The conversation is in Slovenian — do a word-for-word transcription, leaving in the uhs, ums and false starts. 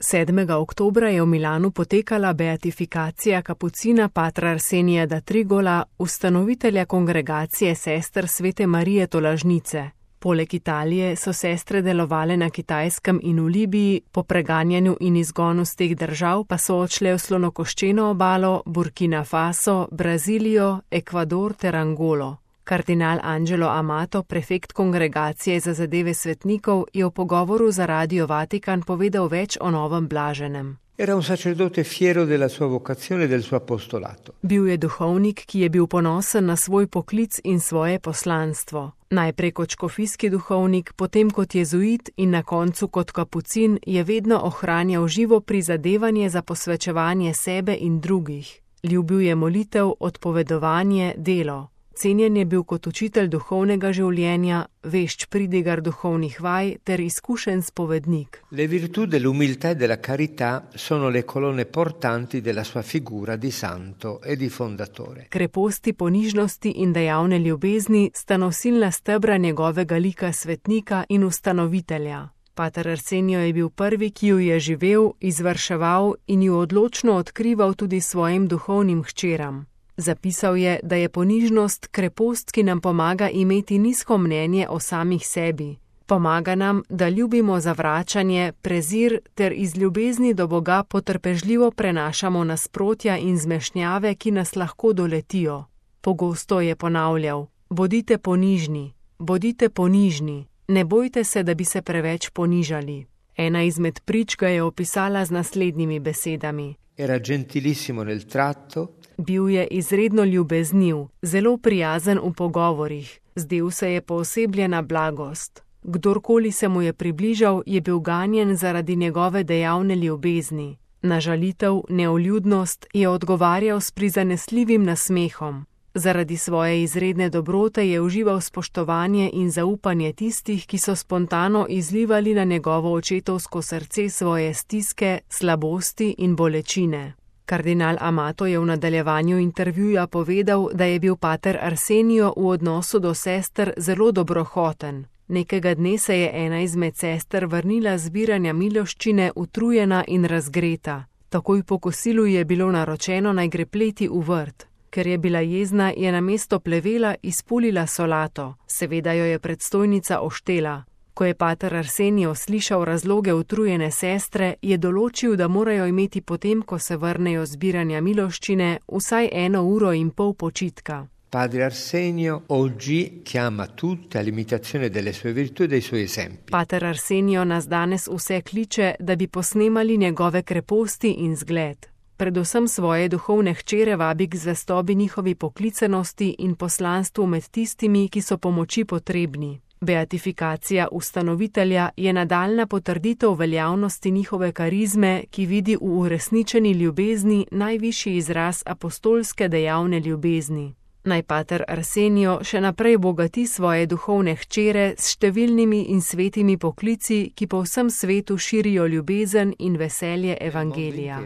sedmega oktobra je v Milanu potekala beatifikacija kapucina patra Arsenija da Trigola, ustanovitelja kongregacije sester Svete Marije Tolažnice. Poleg Italije so sestre delovale na Kitajskem in v Libiji, po preganjanju in izgonu z teh držav pa so odšle v Slonokoščeno obalo, Burkina Faso, Brazilijo, Ekvador ter Angolo. Kardinal Angelo Amato, prefekt kongregacije za zadeve svetnikov, je v pogovoru za Radio Vatikan povedal več o novem blaženem. Era un sacerdote fiero della sua vocazione e del suo apostolato. Bil je duhovnik, ki je bil ponosen na svoj poklic in svoje poslanstvo. Najprej kot škofijski duhovnik, potem kot jezuit in na koncu kot kapucin je vedno ohranjal živo prizadevanje za posvečevanje sebe in drugih. Ljubil je molitev, odpovedovanje, delo. Cenjen je bil kot učitelj duhovnega življenja, vešč pridigar duhovnih vaj ter izkušen spovednik. Le virtù dell'umiltà e della carità sono le colonne portanti della sua figura di santo e di fondatore. Kreposti ponižnosti in dejavne ljubezni sta nosilna stebra njegovega lika svetnika in ustanovitelja. Pater Arsenio je bil prvi, ki jo je živel, izvrševal in jo odločno odkrival tudi svojim duhovnim hčeram. Zapisal je, da je ponižnost krepost, ki nam pomaga imeti nizko mnenje o samih sebi. Pomaga nam, da ljubimo zavračanje, prezir ter iz ljubezni do Boga potrpežljivo prenašamo nasprotja in zmešnjave, ki nas lahko doletijo. Pogosto je ponavljal: bodite ponižni, bodite ponižni, ne bojte se, da bi se preveč ponižali. Ena izmed prič ga je opisala z naslednjimi besedami. Era gentilissimo nel tratto. Bil je izredno ljubezniv, zelo prijazen v pogovorih, zdel se je poosebljena blagost. Kdorkoli se mu je približal, je bil ganjen zaradi njegove dejavne ljubezni. Na žalitev, neuljudnost je odgovarjal s prizanesljivim nasmehom. Zaradi svoje izredne dobrote je užival spoštovanje in zaupanje tistih, ki so spontano izlivali na njegovo očetovsko srce svoje stiske, slabosti in bolečine. Kardinal Amato je v nadaljevanju intervjuja povedal, da je bil pater Arsenio v odnosu do sester zelo dobrohoten. Nekega dne se je ena izmed sester vrnila z zbiranja miloščine utrujena in razgreta. Takoj po kosilu je bilo naročeno, naj gre pleti v vrt. Ker je bila jezna, je namesto plevela izpulila solato. Seveda jo je predstojnica oštela. Ko je pater Arsenio slišal razloge utrujene sestre, je določil, da morajo imeti potem, ko se vrnejo zbiranja miloščine, vsaj eno uro in pol počitka. Padre Arsenio oggi chiama tutte all'imitazione delle sue virtù e dei suoi esempi. Pater Arsenio nas danes vse kliče, da bi posnemali njegove kreposti in zgled. Predvsem svoje duhovne hčere vabi k zvestobi njihovi poklicanosti in poslanstvu med tistimi, ki so pomoči potrebni. Beatifikacija ustanovitelja je nadaljna potrditev veljavnosti njihove karizme, ki vidi v uresničeni ljubezni najvišji izraz apostolske dejavne ljubezni. Naj pater Arsenio še naprej bogati svoje duhovne hčere s številnimi in svetimi poklici, ki po vsem svetu širijo ljubezen in veselje evangelija.